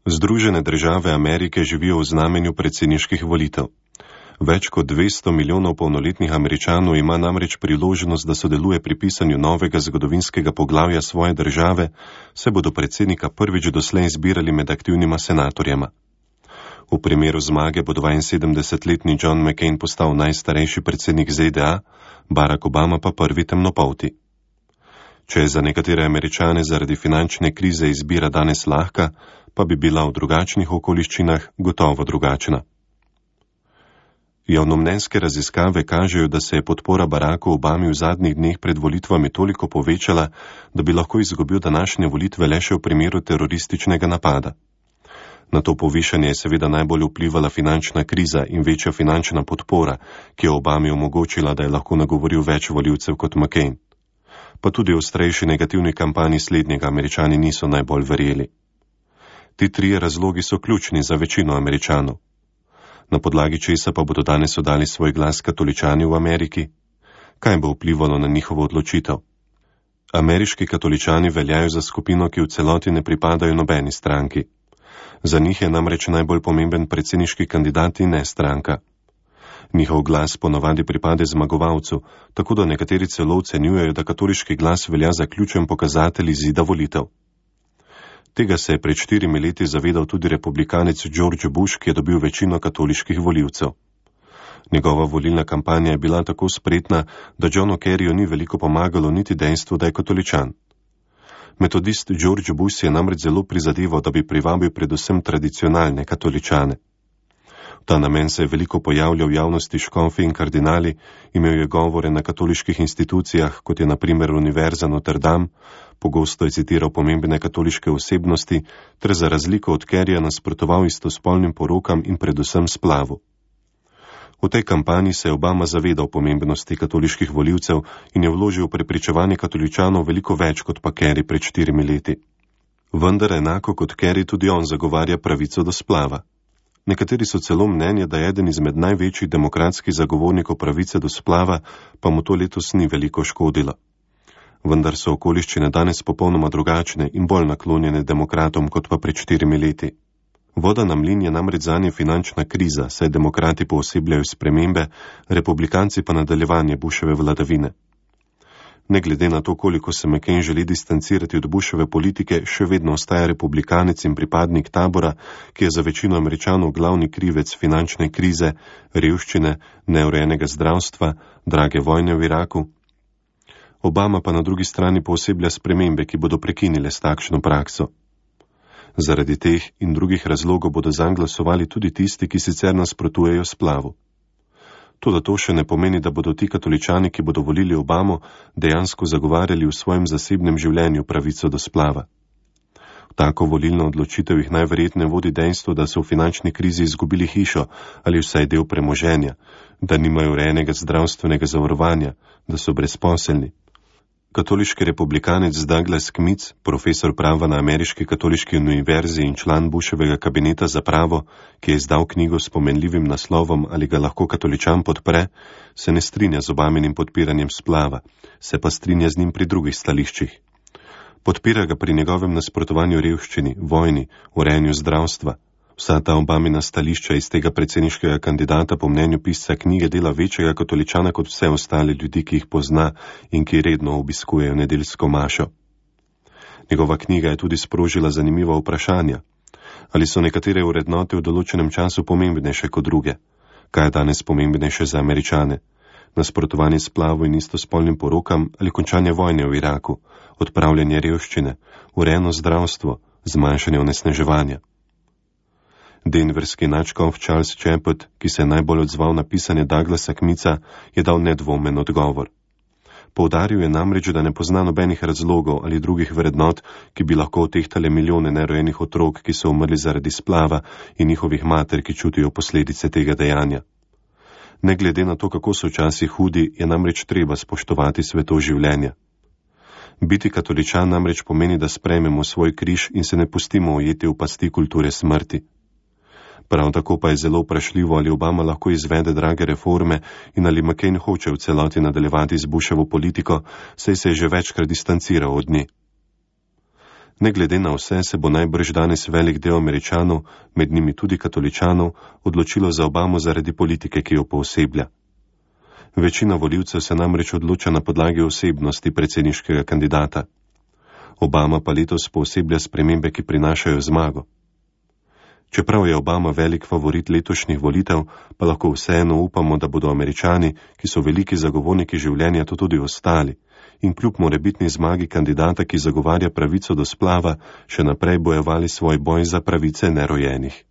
Združene države Amerike živijo v znamenju predsedniških volitev. Več kot 200 milijonov polnoletnih Američanov ima namreč priložnost, da sodeluje pri pisanju novega zgodovinskega poglavja svoje države, saj bodo predsednika prvič doslej izbirali med aktivnima senatorjema. V primeru zmage bo 72-letni John McCain postal najstarejši predsednik ZDA, Barack Obama pa prvi temnopolti. Če je za nekatere Američane zaradi finančne krize izbira danes lahka, pa bi bila v drugačnih okoliščinah gotovo drugačna. Javnomnenjske raziskave kažejo, da se je podpora Baracku Obami v zadnjih dneh pred volitvami toliko povečala, da bi lahko izgubil današnje volitve le še v primeru terorističnega napada. Na to povišanje je seveda najbolj vplivala finančna kriza in večja finančna podpora, ki je Obami omogočila, da je lahko nagovoril več volivcev kot McCain. Pa tudi v ostrejši negativni kampanji slednjega Američani niso najbolj verjeli. Ti trije razlogi so ključni za večino Američanov. Na podlagi česa pa bodo danes oddali svoj glas katoličani v Ameriki? Kaj bo vplivalo na njihovo odločitev? Ameriški katoličani veljajo za skupino, ki v celoti ne pripadajo nobeni stranki. Za njih je namreč najbolj pomemben predsedniški kandidat in ne stranka. Njihov glas ponavadi pripade zmagovalcu, tako da nekateri celo ocenjujejo, da katoliški glas velja za ključen pokazatelj izida volitev. Tega se je pred 4 leti zavedal tudi republikanec George Bush, ki je dobil večino katoliških volivcev. Njegova volilna kampanja je bila tako spretna, da Johnu Kerryju ni veliko pomagalo niti dejstvo, da je katoličan. Metodist George Bush je namreč zelo prizadeval, da bi privabil predvsem tradicionalne katoličane. V ta namen se je veliko pojavljal v javnosti škofi in kardinali, imel je govore na katoliških institucijah, kot je na primer Univerza Notre Dame, pogosto je citiral pomembne katoliške osebnosti, ter za razliko od Kerryja nasprotoval istospolnim porokam in predvsem splavu. V tej kampanji se je Obama zavedal pomembnosti katoliških volivcev in je vložil v prepričevanje katoličanov veliko več kot pa Kerry pred 4 leti. Vendar enako kot Kerry tudi on zagovarja pravico do splava. Nekateri so celo mnenja, da je eden izmed največjih demokratskih zagovornikov pravice do splava, pa mu to letos ni veliko škodilo. Vendar so okoliščine danes popolnoma drugačne in bolj naklonjene demokratom kot pa pred 4 leti. Voda na mlin je namreč zanje finančna kriza, saj demokrati poosebljajo spremembe, republikanci pa nadaljevanje Bushove vladavine. Ne glede na to, koliko se McCain želi distancirati od Bushove politike, še vedno ostaja republikanec in pripadnik tabora, ki je za večino Američanov glavni krivec finančne krize, revščine, neurejenega zdravstva, drage vojne v Iraku. Obama pa na drugi strani pooseblja spremembe, ki bodo prekinile s takšno prakso. Zaradi teh in drugih razlogov bodo zanj glasovali tudi tisti, ki sicer nasprotujejo splavu. Toda to še ne pomeni, da bodo ti katoličani, ki bodo volili Obamo, dejansko zagovarjali v svojem zasebnem življenju pravico do splava. V tako volilno odločitev jih najverjetneje vodi dejstvo, da so v finančni krizi izgubili hišo ali vsaj del premoženja, da nimajo urejenega zdravstvenega zavarovanja, da so brezposelni. Katoliški republikanec Douglas Kmitz, profesor prava na Ameriški katoliški univerzi in član Bushovega kabineta za pravo, ki je izdal knjigo s pomenljivim naslovom Ali ga lahko katoličan podpre, se ne strinja z Obaminim podpiranjem splava, se pa strinja z njim pri drugih stališčih. Podpira ga pri njegovem nasprotovanju revščini, vojni, urejanju zdravstva. Vsa ta Obamina stališča iz tega predsedniškega kandidata po mnenju pisca knjige dela večjega katoličana kot vse ostale ljudi, ki jih pozna in ki redno obiskujejo nedeljsko mašo. Njegova knjiga je tudi sprožila zanimiva vprašanja. Ali so nekatere vrednote v določenem času pomembnejše kot druge? Kaj je danes pomembnejše za Američane? Nasprotovanje splavu in istospolnim porokam ali končanje vojne v Iraku, odpravljanje revščine, urejeno zdravstvo, zmanjšanje onesnaževanja? Denverski nadškof Charles Chaput, ki se je najbolj odzval na pisanje Douglasa Kmitza, je dal nedvomen odgovor. Poudaril je namreč, da ne pozna nobenih razlogov ali drugih vrednot, ki bi lahko otehtale milijone nerojenih otrok, ki so umrli zaradi splava in njihovih mater, ki čutijo posledice tega dejanja. Ne glede na to, kako so časi hudi, je namreč treba spoštovati sveto življenja. Biti katoličan namreč pomeni, da sprejmemo svoj križ in se ne pustimo ujeti v pasti kulture smrti. Prav tako pa je zelo vprašljivo, ali Obama lahko izvede drage reforme in ali McCain hoče v celoti nadaljevati z Bushovo politiko, saj se je že večkrat distanciral od nje. Ne glede na vse se bo najbrž danes velik del Američanov, med njimi tudi katoličanov, odločilo za Obamo zaradi politike, ki jo pooseblja. Večina volivcev se namreč odloča na podlagi osebnosti predsedniškega kandidata. Obama pa letos pooseblja spremembe, ki prinašajo zmago. Čeprav je Obama velik favorit letošnjih volitev, pa lahko vseeno upamo, da bodo Američani, ki so veliki zagovorniki življenja, to tudi ostali in kljub morebitni zmagi kandidata, ki zagovarja pravico do splava, še naprej bojevali svoj boj za pravice nerojenih.